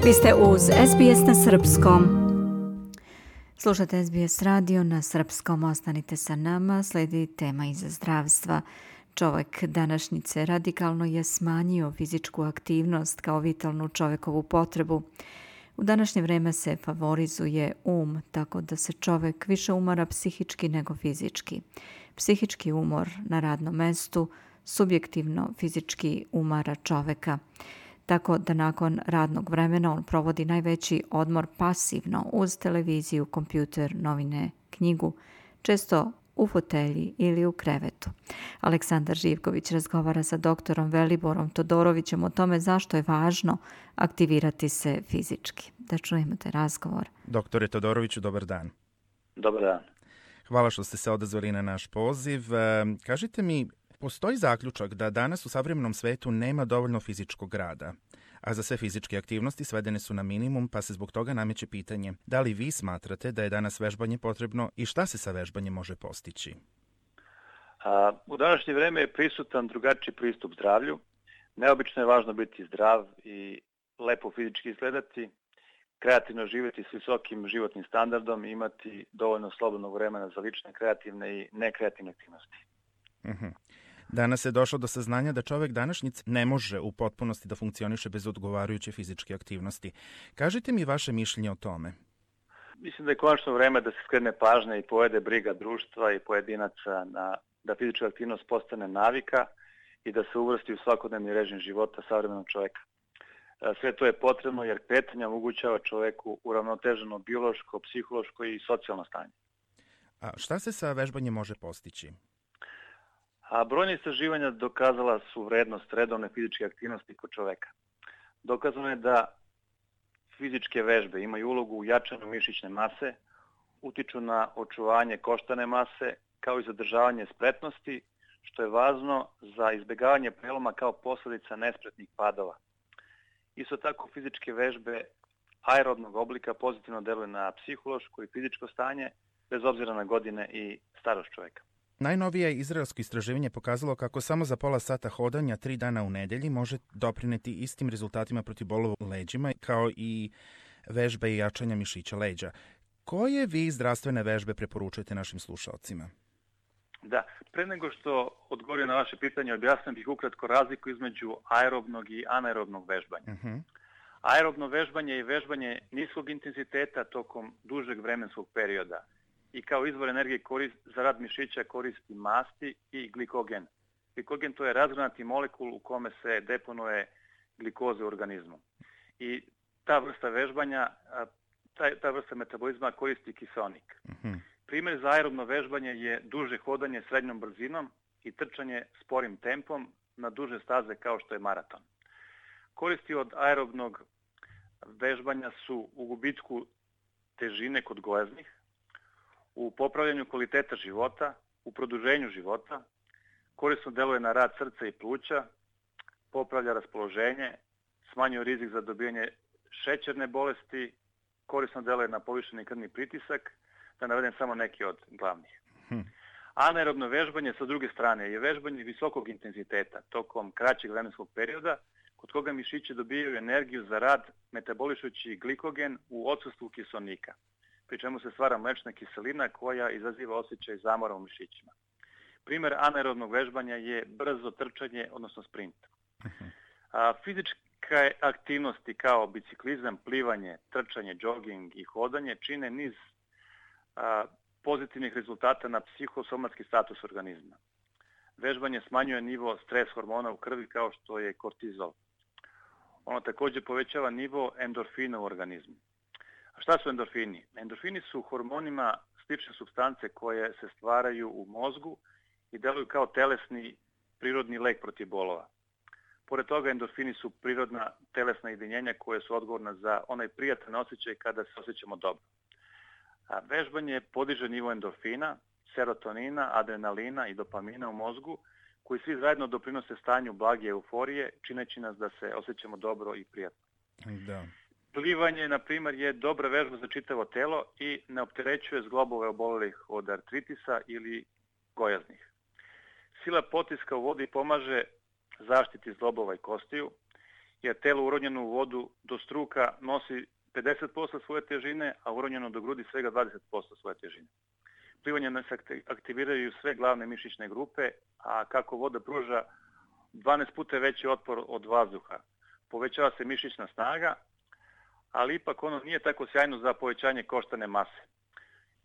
Vi ste uz SBS na srpskom. Slušate SBS radio na srpskom, ostanite sa nama, slijedi tema iz zdravstva. Čovjek današnjice radikalno je smanjio fizičku aktivnost kao vitalnu čovjekovu potrebu. U današnje vrijeme se favorizuje tako da se čovjek više umara psihički nego fizički. Psihički umor na radnom mestu subjektivno fizički umara čovjeka. Tako da nakon radnog vremena on provodi najveći odmor pasivno uz televiziju, kompjuter, novine, knjigu, često u fotelji ili u krevetu. Aleksandar Živković razgovara sa doktorom Veliborom Todorovićem o tome zašto je važno aktivirati se fizički. Da čujemo taj razgovor. Doktore Todoroviću, dobar dan. Dobar dan. Hvala što ste se odazvali na naš poziv. Kažite mi, postoji zaključak da danas u savremenom svetu nema dovoljno fizičkog rada, a za sve fizičke aktivnosti svedene su na minimum, pa se zbog toga nameće pitanje da li vi smatrate da je danas vežbanje potrebno i šta se sa vežbanjem može postići? U današnje vrijeme je prisutan drugačiji pristup zdravlju. Neobično je važno biti zdrav i lepo fizički izgledati, kreativno živjeti s visokim životnim standardom i imati dovoljno slobodnog vremena za lične, kreativne i nekreativne aktivnosti. Danas je došlo do saznanja da čovjek današnjic ne može u potpunosti da funkcioniše bez odgovarajuće fizičke aktivnosti. Kažite mi vaše mišljenje o tome. Mislim da je konačno vreme da se skrene pažnja i povede briga društva i pojedinaca da fizička aktivnost postane navika i da se uvrsti u svakodnevni režim života savremenog čovjeka. Sve to je potrebno jer kretanje omogućava čovjeku uravnoteženo biološko, psihološko i socijalno stanje. A šta se sa vežbanjem može postići? Brojne istraživanja dokazala su vrednost redovne fizičke aktivnosti kod čovjeka. Dokazano je da fizičke vežbe imaju ulogu u jačanju mišićne mase, utiču na očuvanje koštane mase, kao i zadržavanje spretnosti, što je važno za izbjegavanje preloma kao posljedica nespretnih padova. Isto tako fizičke vežbe aerobnog oblika pozitivno deluju na psihološko i fizičko stanje, bez obzira na godine i starost čovjeka. Najnovije izraelsko istraživanje pokazalo kako samo za pola sata hodanja 3 dana u nedelji može doprineti istim rezultatima protiv bolova u leđima kao i vežbe i jačanja mišića leđa. Koje vi zdravstvene vežbe preporučujete našim slušalcima? Da, pre nego što odgovorim na vaše pitanje, objasnim bih ukratko razliku između aerobnog i anaerobnog vežbanja. Aerobno vežbanje je vežbanje niskog intenziteta tokom dužeg vremenskog perioda i kao izvor energije za rad mišića koristi masti i glikogen. Glikogen to je razgranati molekul u kome se deponuje glikoza u organizmu. I ta vrsta vežbanja, ta vrsta metabolizma koristi kiseonik. Primjer za aerobno vežbanje je duže hodanje srednjom brzinom i trčanje sporim tempom na duže staze kao što je maraton. Koristi od aerobnog vežbanja su u gubitku težine kod gojaznih, u popravljanju kvaliteta života, u produženju života, korisno deluje na rad srca i pluća, popravlja raspoloženje, smanjuje rizik za dobijanje šećerne bolesti, korisno deluje na povišeni krvni pritisak, da navedem samo neki od glavnih. Anaerobno vežbanje sa druge strane je vežbanje visokog intenziteta tokom kraćeg vremenskog perioda, kod koga mišići dobijaju energiju za rad metabolišući glikogen u odsustvu kiseonika, pri čemu se stvara mlečna kiselina koja izaziva osjećaj zamora u mišićima. Primjer anaerobnog vežbanja je brzo trčanje, odnosno sprint. Fizičke aktivnosti kao biciklizam, plivanje, trčanje, džoging i hodanje čine niz pozitivnih rezultata na psihosomatski status organizma. Vežbanje smanjuje nivo stres hormona u krvi kao što je kortizol. Ono također povećava nivo endorfina u organizmu. A šta su endorfini? Endorfini su hormonima slične supstance koje se stvaraju u mozgu i deluju kao telesni prirodni lek protiv bolova. Pored toga endorfini su prirodna telesna jedinjenja koje su odgovorna za onaj prijatan osjećaj kada se osjećamo dobro. A vežbanje podiže nivo endorfina, serotonina, adrenalina i dopamina u mozgu, koji svi zajedno doprinose stanju blage euforije, čineći nas da se osjećamo dobro i prijatno. Da. Plivanje, na primjer, je dobra vežba za čitavo telo i ne opterećuje zglobove obolelih od artritisa ili gojaznih. Sila potiska u vodi pomaže zaštiti zglobova i kostiju jer telo uronjeno u vodu do struka nosi 50% svoje težine, a uronjeno do grudi svega 20% svoje težine. Plivanjem nas aktiviraju sve glavne mišićne grupe, a kako voda pruža 12 puta veći otpor od vazduha. Povećava se mišićna snaga, ali ipak ono nije tako sjajno za povećanje koštane mase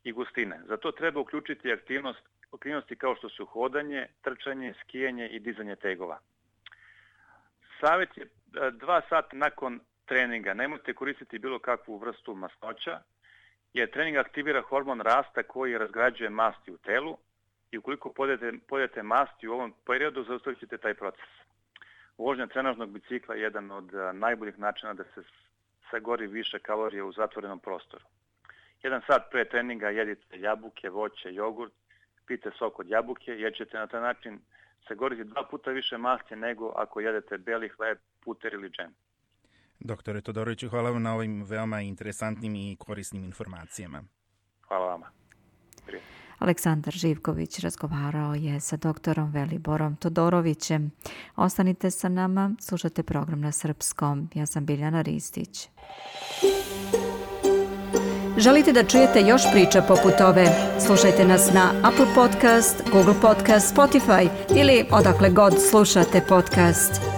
i gustine. Zato treba uključiti aktivnosti kao što su hodanje, trčanje, skijanje i dizanje tegova. Savjet je 2 sata nakon treninga. Nemojte koristiti bilo kakvu vrstu masnoća, jer trening aktivira hormon rasta koji razgrađuje masti u telu i ukoliko pojedete masti u ovom periodu, zaustavit ćete taj proces. Vožnja trenažnog bicikla je jedan od najboljih načina da se sagori više kalorije u zatvorenom prostoru. 1 sat pre treninga jedite jabuke, voće, jogurt, pijte sok od jabuke, jer ćete na taj način sagoriti 2 puta više masti nego ako jedete beli hleb, puter ili džem. Doktore Todoroviću, hvala vam na ovim veoma interesantnim i korisnim informacijama. Hvala vama. Aleksandar Živković razgovarao je sa doktorom Veliborom Todorovićem. Ostanite sa nama, slušate program na srpskom. Ja sam Biljana Ristić. Želite da čujete još priča poput ove? Slušajte nas na Apple Podcast, Google Podcast, Spotify ili odakle god slušate podcast.